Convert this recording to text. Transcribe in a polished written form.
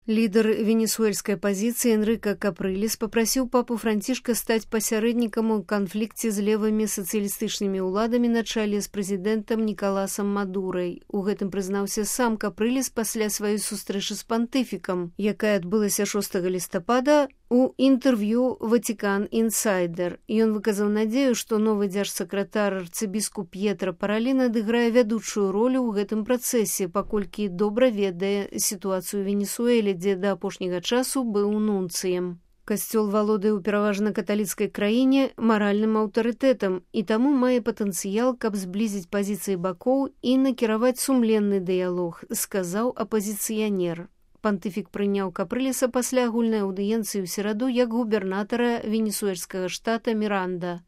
Лидер венесуэльской оппозиции Энрико Капрылес попросил папу Францишка стать посередником у канфлікце з левымі сацыялістычнымі ўладамі на чале з прэзідэнтам Нікаласам Мадурай. У гэтым прызнаўся сам Капрылес пасля сваёй сустрэчы з пантыфікам, якая адбылася 6 лістапада у інтэрв'ю «Ватикан Інсайдер». Ён выказаў надзею, што новы дзяржсакратар арцыбіскуп П'етра Паралін адыграе вядучую ролю ў гэтым працэсе, паколькі добра ведае сітуацыю ў Венесуэле, дзе да апошняга часу быў нунцыем. Касцёл валодае ў пераважна каталіцкай краіне маральным аўтарытэтам і таму мае патэнцыял, каб зблізіць пазіцыі бакоў і накіраваць сумленны дыялог, сказаў апазіцыянер. Пантыфік прыняў Капрылеса пасля агульнай аўдыенцыі ў сераду як губернатара венесуэльскага штата Міранда.